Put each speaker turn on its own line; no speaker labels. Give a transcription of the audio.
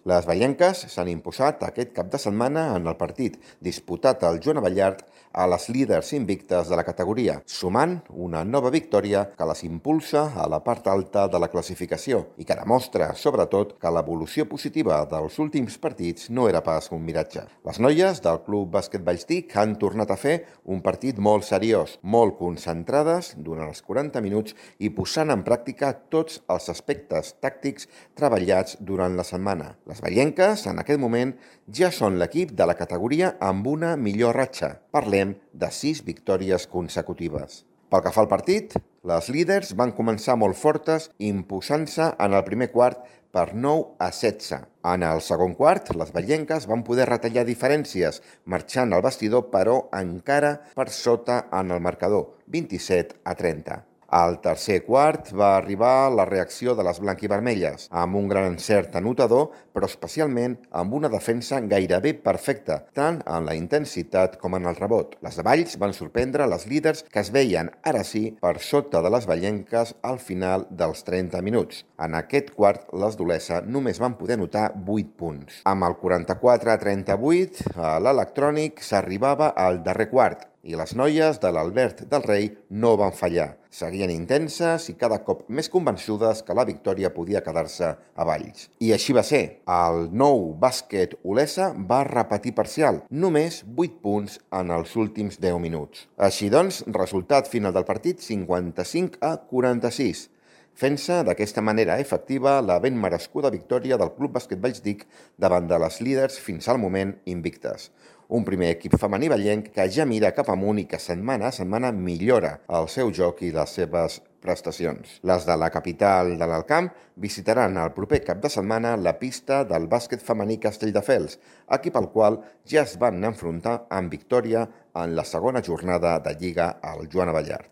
Les vallenques s'han imposat aquest cap de setmana en el partit disputat al Joan Abellart a les líders invictes de la categoria, sumant una nova victòria que les impulsa a la part alta de la classificació i que demostra, sobretot, que l'evolució positiva dels últims partits no era pas un miratge. Les noies del Club Bàsquet Vallstic han tornat a fer un partit molt seriós, molt concentrades durant els 40 minuts i posant en pràctica tots els aspectes tàctics treballats durant la setmana. Les vallenques, en aquest moment, ja són l'equip de la categoria amb una millor ratxa. Parlem de 6 victòries consecutives. Pel que fa al partit, les líders van començar molt fortes, imposant-se en el primer quart per 9-16. En el segon quart, les vallenques van poder retallar diferències, marxant al vestidor, però encara per sota en el marcador, 27-30. Al tercer quart va arribar la reacció de les blanquivermelles, amb un gran encert anotador, però especialment amb una defensa gairebé perfecta, tant en la intensitat com en el rebot. Les de Valls van sorprendre les líders que es veien, ara sí, per sota de les vallenques al final dels 30 minuts. En aquest quart, les d'Olesa només van poder anotar 8 punts. Amb el 44-38, a l'electrònic s'arribava al darrer quart, i les noies de l'Albert del Rei no van fallar. Seguien intenses i cada cop més convençudes que la victòria podia quedar-se a Valls. I així va ser. El nou bàsquet Olesa va repetir parcial, només 8 punts en els últims 10 minuts. Així doncs, resultat final del partit 55-46. Fent-se d'aquesta manera efectiva la ben merescuda victòria del Club Bàsquet Vallstic davant de les líders fins al moment invictes. Un primer equip femení vallenc que ja mira cap amunt i que setmana a setmana millora el seu joc i les seves prestacions. Les de la capital de l'Alt-Camp visitaran el proper cap de setmana la pista del bàsquet femení Castelldefels, equip al qual ja es van enfrontar amb victòria en la segona jornada de Lliga al Joan Abellart.